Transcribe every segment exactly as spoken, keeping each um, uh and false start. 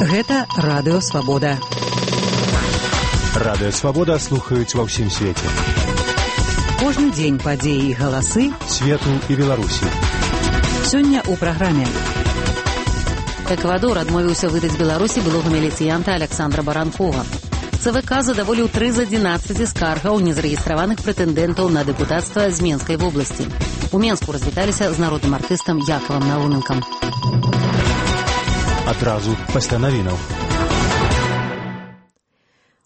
Гэта Радыё Свабода. Радыё Свабода слухаюць ва ўсім свеце. Кожны дзень падзеі і галасы свету і Беларусі. Сёння ў праграме. Эквадор адмовіўся выдаць Беларусі былога міліцыянта Александра Баранкова. ЦВК задаволіў тры з адзінаццаці скаргаў незарэгістраваных прэтэндэнтаў на дэпутацтва з Менскай вобласці. У Менску развіталіся з народным артыстам Якавам Науменкам. Адразу пасля навінаў.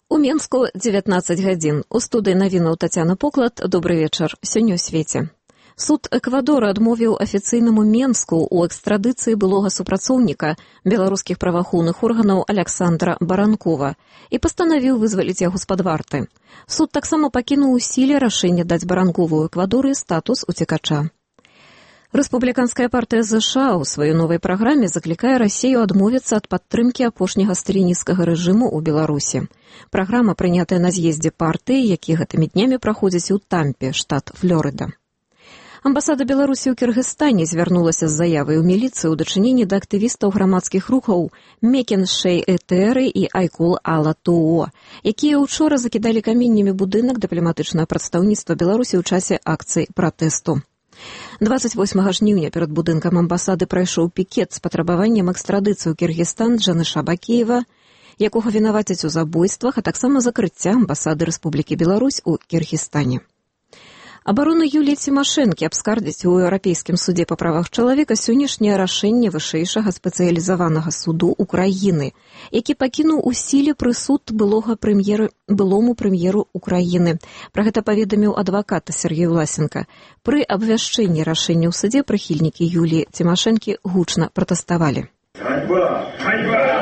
У Менску дзевятнаццаць гадзін. У студыі навінаў Тацяна Поклад. Добры вечар. Сёння ў свеце. Суд Эквадора адмовіў афіцыйнаму Менску ў экстрадыцыі былога супрацоўніка беларускіх праваахоўных органаў Александра Баранкова і пастанавіў вызваліць яго з-пад варты. Суд таксама пакінуў у сіле рашэнне даць Баранкову ў Эквадоры статус уцекача. Рэспубліканская партыя ЗША ў сваёй новай праграме заклікае Расію адмовіцца ад падтрымкі апошняга сталінісцкага рэжыму ў Беларусі. Праграма прынятая на з'ездзе партыі, які гэтымі днямі праходзіць у Тампе, штат Флорыда. Амбасада Беларусі ў Кіргызстане звярнулася з заявай у міліцыю ў дачыненні да актывістаў грамадскіх рухаў Мекен Шэй Этэры і Айкул Ала Туо, якія ўчора закідалі каменнямі будынак дыпламатычнага прадстаўніцтва Беларусі ў часе акцыі пратэсту. дваццаць восьмага жніўня перад будынкам амбасады прайшоў пікет з патрабаваннем экстрадыцыі ў Кіргізстан Джаныша Бакеева, якога вінавацяць у забойствах, а таксама закрыцця амбасады Рэспублікі Беларусь у Кіргізстане. Абарону Юліі Цімашэнкі абскардзіць у Еўрапейскім судзе па правах чалавека сённяшняе рашэнне вышэйшага спецыялізаванага суду Украіны, які пакінуў у сіле прысуд былога прэм'еры былому прэм'еру Украіны. Пра гэта паведаміў адвакат Сергей Власенко. Пры абвяшчэнні рашэння ў судзе прыхільнікі Юліі Цімашэнкі гучна пратэставалі. Ганьба! Ганьба!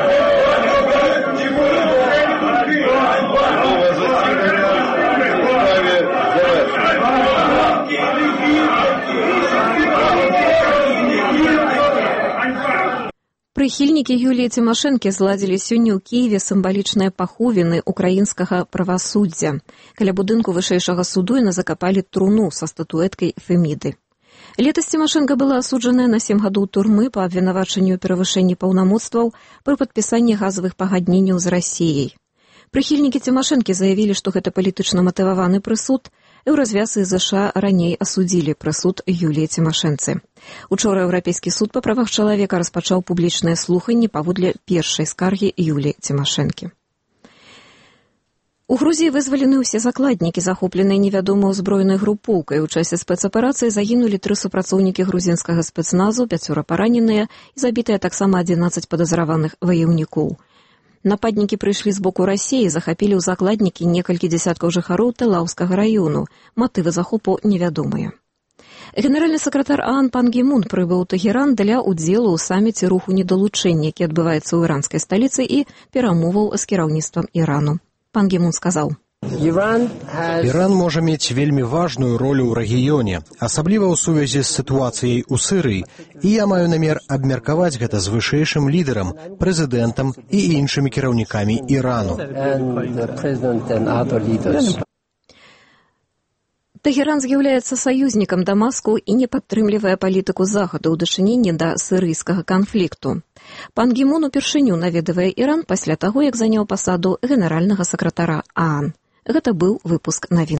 Прыхільнікі Юліі Цімашэнкі зладзілі сёння ў Кіеве сімвалічныя паховіны украінскага правасуддзя. Каля будынку вышэйшага суду яны закапалі труну са статуэткай Феміды. Летась Цімашэнка была асуджаная на сем гадоў турмы па абвінавачанню ў перавышэнні паўнамоцтваў пры падпісанні газавых пагадненняў з Расіяй. Прыхільнікі Цімашэнкі заявілі, што гэта палітычна матываваны прысуд. Еўразвяз і ЗША раней асудзілі прысуд Юліі Цімашэнцы. Учора Еўрапейскі суд па правах чалавека распачаў публічнае слуханне паводле першай скаргі Юліі Цімашэнкі. У Грузіі вызвалены ўсе закладнікі, захопленыя невядомай узброенай групоўкай. У часе спецаперацыі загінулі тры супрацоўнікі грузінскага спецназу, пяцёра параненыя і забітыя таксама адзінаццаць падазраваных ваяўнікоў. Нападнікі прыйшлі з боку Расіі, захапілі ў закладнікі некалькі дзясяткаў жыхароў Тэлаўскага раёну. Матывы захопу невядомыя. Генеральны сакратар ААН Пан Гі Мун прыбыў у Тэгеран для ўдзелу ў саміце руху недалучэння, які адбываецца ў іранскай сталіцы, і перамоваў з кіраўніцтвам Ірану. Пан Гі Мун сказаў: Іран можа мець вельмі важную ролю ў рэгіёне, асабліва ў сувязі з сітуацыяй у Сірыі, і я маю намер абмеркаваць гэта з вышэйшым лідарам, прэзідэнтам і іншымі кіраўнікамі Ірану. Тэгеран з'яўляецца саюзнікам Дамаску і не падтрымлівае палітыку Захаду ў дачыненні да сірыйскага канфлікту. Пан Гі Мун упершыню наведвае Іран пасля таго, як заняў пасаду генеральнага сакратара ААН. Гэта быў выпуск навін.